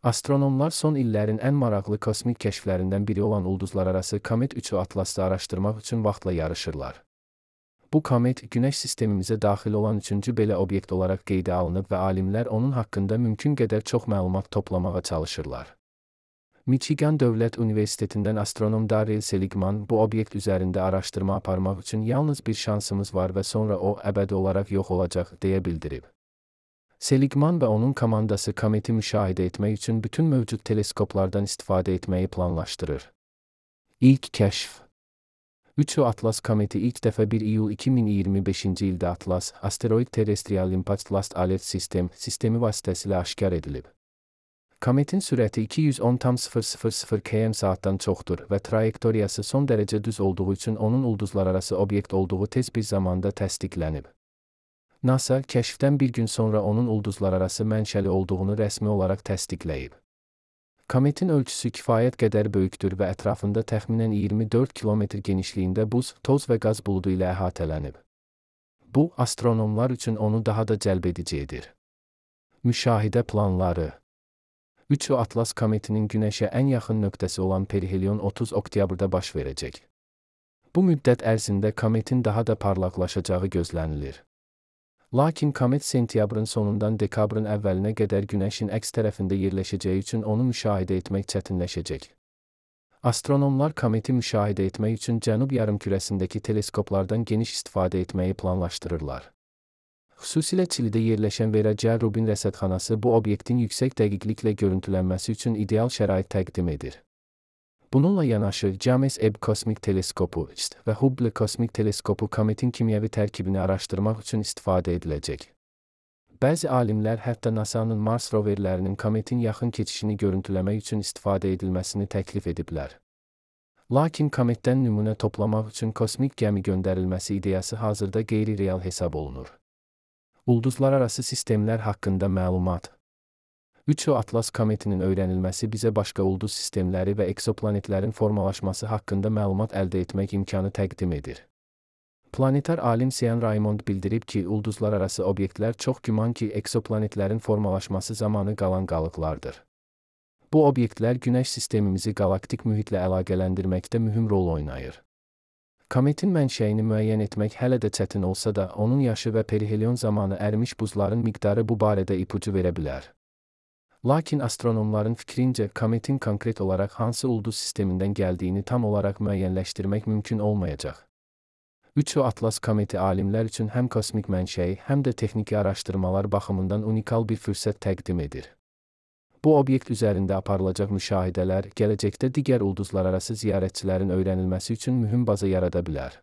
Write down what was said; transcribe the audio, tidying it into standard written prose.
Astronomlar son illərin ən maraqlı kosmik kəşflərindən biri olan ulduzlararası Komet 3-ü Atlasda araşdırmaq üçün vaxtla yarışırlar. Bu komet, Günəş sistemimizə daxil olan üçüncü belə obyekt olaraq qeydə alınıb və alimlər onun haqqında mümkün qədər çox məlumat toplamağa çalışırlar. Michigan Dövlət Universitetindən astronom Darrell Seligman bu obyekt üzərində araşdırma aparmaq üçün yalnız bir şansımız var və sonra o, əbədi olaraq yox olacaq, deyə bildirib. Seligman və onun komandası kometi müşahidə etmək üçün bütün mövcud teleskoplardan istifadə etməyi planlaşdırır. İlk kəşf 3-ü Atlas kometi ilk dəfə 1 iyul 2025-ci ildə Atlas, Asteroid Terrestrial Impact Last Alert System sistemi vasitəsilə aşkar edilib. Kometin sürəti 210,000 km/saatdan çoxdur və trayektoriyası son dərəcə düz olduğu üçün onun ulduzlararası obyekt olduğu tez bir zamanda təsdiqlənib. NASA, kəşfdən bir gün sonra onun ulduzlararası mənşəli olduğunu rəsmi olaraq təsdiqləyib. Kometin ölçüsü kifayət qədər böyükdür və ətrafında təxminən 24 kilometr genişliyində buz, toz və qaz buludu ilə əhatələnib. Bu, astronomlar üçün onu daha da cəlbedici edir. Müşahidə planları 3-ü Atlas kometinin Günəşə ən yaxın nöqtəsi olan perihelion 30 oktyabrda baş verəcək. Bu müddət ərzində kometin daha da parlaqlaşacağı gözlənilir. Lakin komet sentyabrın sonundan dekabrın əvvəlinə qədər Günəşin əks tərəfində yerləşəcəyi üçün onu müşahidə etmək çətinləşəcək. Astronomlar kometi müşahidə etmək üçün cənub yarımkürəsindəki teleskoplardan geniş istifadə etməyi planlaşdırırlar. Xüsusilə Çilidə yerləşən Vera C. Rubin rəsədxanası bu obyektin yüksək dəqiqliklə görüntülənməsi üçün ideal şərait təqdim edir. Bununla yanaşı, James Webb Kosmik Teleskopu və Hubble Kosmik Teleskopu kometin kimyəvi tərkibini araşdırmaq üçün istifadə ediləcək. Bəzi alimlər hətta NASA-nın Mars roverlərinin kometin yaxın keçişini görüntüləmək üçün istifadə edilməsini təklif ediblər. Lakin kometdən nümunə toplamaq üçün kosmik gəmi göndərilməsi ideyası hazırda qeyri-real hesab olunur. Ulduzlararası sistemlər haqqında məlumat 3-ü Atlas kometinin öyrənilməsi bizə başqa ulduz sistemləri və eksoplanetlərin formalaşması haqqında məlumat əldə etmək imkanı təqdim edir. Planetar alim Sean Raymond bildirib ki, ulduzlararası obyektlər çox güman ki, eksoplanetlərin formalaşması zamanı qalan qalıqlardır. Bu obyektlər Günəş sistemimizi qalaktik mühitlə əlaqələndirməkdə mühüm rol oynayır. Kometin mənşəyini müəyyən etmək hələ də çətin olsa da, onun yaşı və perihelion zamanı ərimiş buzların miqdarı bu barədə ipucu verə bilər. Lakin astronomların fikrincə, kometin konkret olaraq hansı ulduz sistemindən gəldiyini tam olaraq müəyyənləşdirmək mümkün olmayacaq. 3-ü Atlas kometi alimlər üçün həm kosmik mənşəyi, həm də texniki araşdırmalar baxımından unikal bir fürsət təqdim edir. Bu obyekt üzərində aparılacaq müşahidələr, gələcəkdə digər ulduzlararası ziyarətçilərin öyrənilməsi üçün mühüm baza yarada bilər.